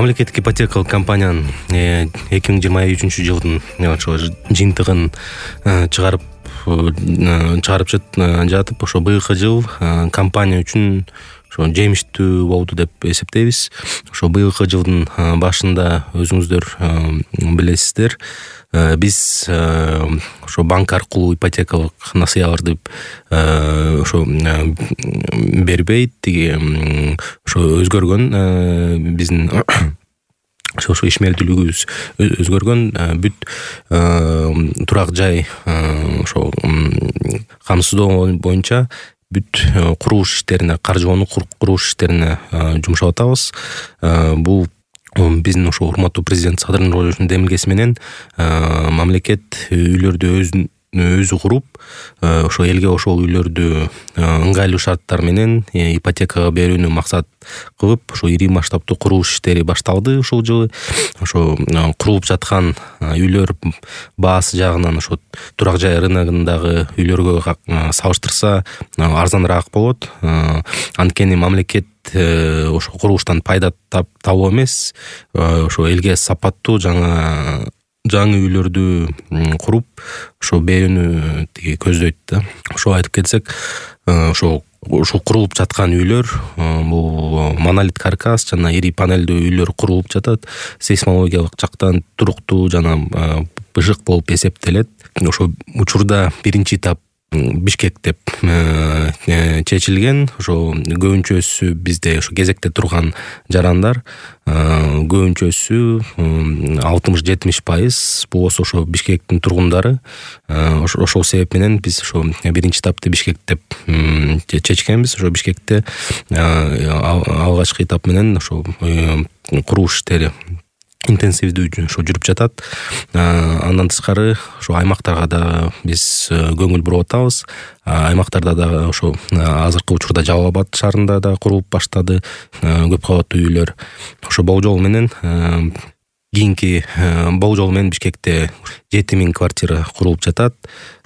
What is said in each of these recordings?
Мамлекеттик ипотекалык компаниянын 2023-жылдын ошо жыйынтыгын чыгарып жатып, ошо быйылкы жыл компания үчүн ошо жемиштүү болду деп эсептейбиз. Ошо быйылкы жылдын башында өзүңүздөр билесиздер, биз ошо банк аркылуу ипотекалык насыяларды ошо бербейт, ошо өзгөргөн биздин ошо ишмердүүлүгүбүз өзгөргөн, бүт турак жай ошо камсыздоо боюнча бүт курулуш иштерине, каржылоону курулуш иштерине жумшап атабыз. Бул биздин ошо урматтуу президент Садыр Нуралиевичтин демилгеси менен мамлекет үйлөрдү өзү куруп, ошо элге ошол үйлөрдү ыңгайлуу шарттар менен ипотекага берүүнү максат кылып, ошо ири масштабтуу курулуш иштери башталды ушул жылы. Ошо курулуп жаткан үйлөр баасы жагынан ошо турак жай рыногундагы үйлөргө салыштырса арзаныраак болот. Анткени мамлекет ошо курулуштан пайда табуу эмес, ошо элге сапаттуу жаңы үйлөрдү куруп, ошо берүүнү көздөйт да. Ошо айтып кетсек, ошо курулуп жаткан үйлөр, бул монолит каркас жана ири панелдүү үйлөр курулуп жатат. Сейсмологиялык жактан туруктуу жана бышык болуп эсептелет. Ошо учурда биринчи этап Бишкек деп чечилген. Ошо көбүнчөсү бизде ошо кезекте турган жарандар, көбүнчөсү 60-70% болсо ошо Бишкектин тургундары. Ошол себеп менен биз ошо биринчи этапты Бишкек деп чечкенбиз. Ошо Бишкекте алгачкы этап менен ошо курулуш иштери интенсивдүү ошо жүрүп жатат. Андан тышкары ошо аймактарга да биз көңүл буруп атабыз. Аймактарда да ошо азыркы учурда Жалал Абад шаарында да курулуп баштады көп кабаттуу үйлөр. Ошо болжол менен кийинки болжол менен Бишкекте 7000 квартира курулуп жатат.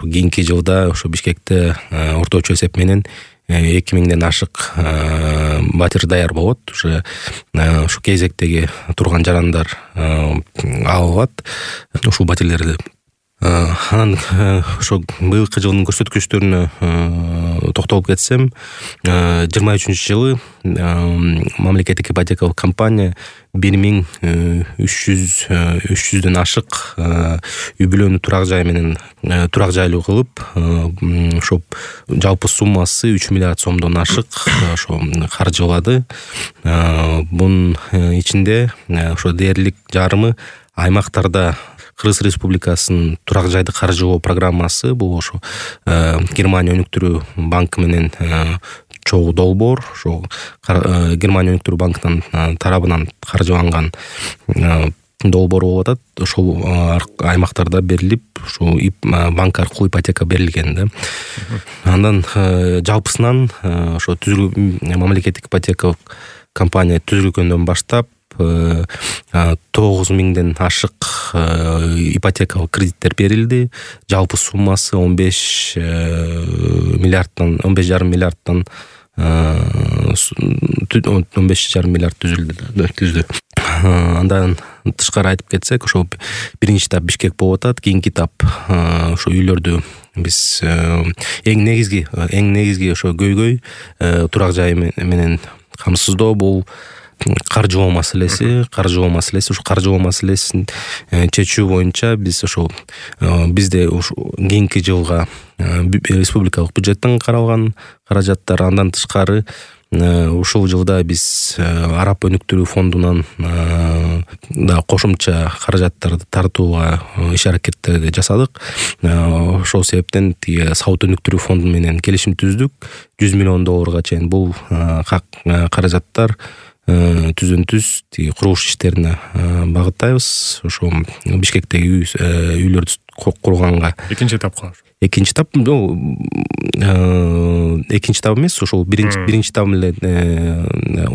Кийинки жылда ошо Бишкекте орточо эсеп менен 2000ден ашык батир даяр болот. Ошо кезектеги турган жарандар алынат ушул батирлерди. Анан ошо быйылкы жылдын көрсөткүчтөрүнө токтолуп кетсем, 23-жылы мамлекеттик ипотекалык компания 1300дөн ашык үй бүлөнү турак жай менен турак жайлуу кылып, ошо жалпы суммасы 3 миллиард сомдон ашык ошо каржылады. Бунун ичинде ошо дээрлик жарымы аймактарда Кыргыз Республикасынын турак жайды каржылоо программасы, бул ошо Германия өнүктүрүү банкы менен чогуу долбоор, ошо Германия өнүктүрүү банкынын тарабынан каржыланган долбоор болуп атат. Ошол аймактарда берилип, ошо банк аркылуу ипотека берилген да. Андан жалпысынан ошо мамлекеттик ипотекалык компания түзүлгөндөн баштап 9000ден ашык ипотекалык кредиттер берилди. Жалпы суммасы 15,5 миллиардтан 15,5 миллиард түздү. Андан тышкары айтып кетсек, ошо биринчи этап Бишкек болуп атат. Кийинки этап ошо үйлөрдү биз эң негизги ошо көйгөй турак жай менен камсыздоо, бул каржылоо маселеси. Ушу каржылоо маселесин чечүү боюнча биз ошо бизде кийинки жылга республикалык бюджеттен каралган каражаттар, андан тышкары ушул жылда биз Араб өнүктүрүү фондунан да кошумча каражаттарды тартууга иш-аракеттерди жасадык. Ошол себептен Сауд өнүктүрүү фонду менен келишим түздүк. $100 миллион чейин бул каражаттар түз курулуш иштерине багыттайбыз. Ошо Бишкектеги үйлөрдү курганга. Экинчи этап эмес, ошол биринчи этап эле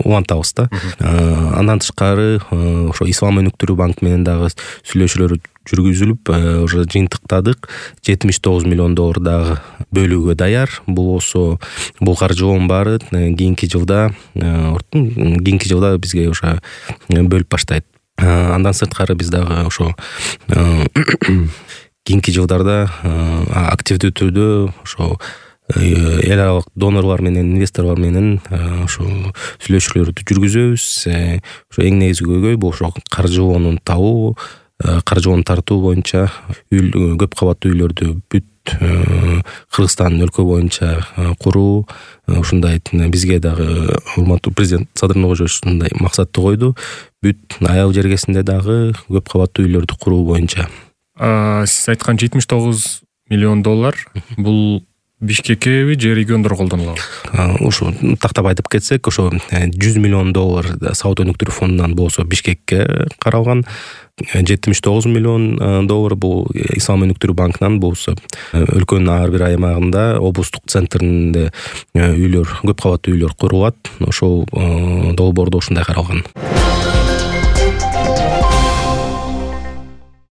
улантабыз да. Андан тышкары ошо Ислам өнүктүрүү банк менен дагы сүйлөшүүлөр жүргүзүлүп уже жыйынтыктадык. $79 миллион дагы бөлүүгө даяр. Бул каржылоонун баары кийинки жылда бизге уже бөлүп баштайт. Андан сырткары биз дагы ошо кийинки жылдарда активдүү түрдө ошо эл аралык донорлор менен, инвесторлор менен ошо сүйлөшүүлөрдү жүргүзөбүз. Ошо эң негизги көйгөй бул ошо каржылоону табуу, каржылоону тартуу боюнча көп кабаттуу үйлөрдү бүт Кыргызстан өлкө боюнча куруу. Ушундай бизге дагы урматтуу президент Садыр Нуркожоевич ушундай максатты койду. Бүт аял жергесинде дагы көп кабаттуу үйлөрдү куруу боюнча. Сиз айткан $79 миллион бул Бишкеккеби же региондор колдонулабы? Ошо тактап айтып кетсек, ошо $100 миллион сауда өнүктүрүү фондунан болсо Бишкекке каралган, $79 миллион бул Ислам өнүктүрүү банкынан болсо өлкөнүн ар бир аймагында облустук центринде үйлөр, көп кабаттуу үйлөр курулат. Ошол долбоордо ушундай каралган.